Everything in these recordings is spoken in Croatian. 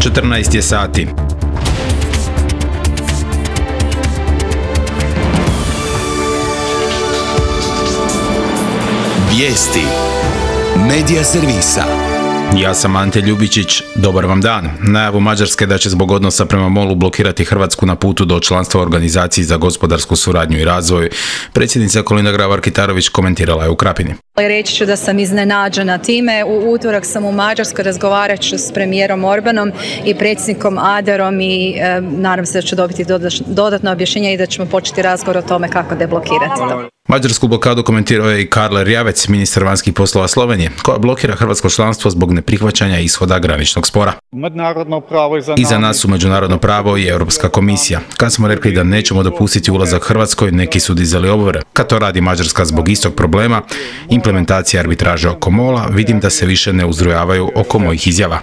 14 je sati. Vijesti Medija servisa. Ja sam Ante Ljubičić, dobar vam dan. Najavu Mađarske da će zbog odnosa prema MOL-u blokirati Hrvatsku na putu do članstva u Organizaciji za gospodarsku suradnju i razvoj, predsjednica Kolinda Grabar-Kitarović komentirala je u Krapini. Reći ću da sam iznenađena time. U utorak sam u Mađarskoj, razgovarat ću s premijerom Orbanom i predsjednikom Aderom i nadam se da ću dobiti dodatno objašnjenje i da ćemo početi razgovor o tome kako deblokirati to. Mađarsku blokadu komentirao je i Karl Erjavec, ministar vanjskih poslova Slovenije, koja blokira hrvatsko članstvo zbog neprihvaćanja ishoda graničnog spora. Iza nas su međunarodno pravo i Europska komisija. Kad smo rekli da nećemo dopustiti ulazak Hrvatskoj, neki su dizali obvore. Kad to radi Mađarska zbog istog problema, implementacija arbitraže oko MOL-a, vidim da se više ne uzrujavaju oko mojih izjava.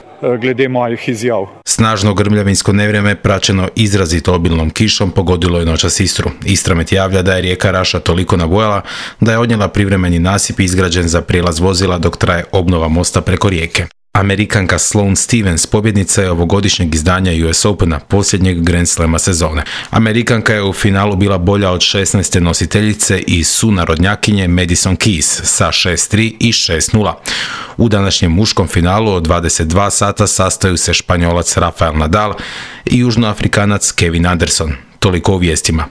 Snažno grmljavinsko nevrijeme praćeno izrazito obilnom kišom pogodilo je noćas Istru. Istramet javlja da je rijeka Raša toliko nabujala da je odnijela privremeni nasip izgrađen za prijelaz vozila dok traje obnova mosta preko rijeke. Amerikanka Sloane Stevens pobjednica je ovogodišnjeg izdanja US Opena, posljednjeg Grand Slama sezone. Amerikanka je u finalu bila bolja od 16. nositeljice i sunarodnjakinje Madison Keys sa 6-3 i 6-0. U današnjem muškom finalu od 22 sata sastaju se Španjolac Rafael Nadal i Južnoafrikanac Kevin Anderson. Toliko u vijestima.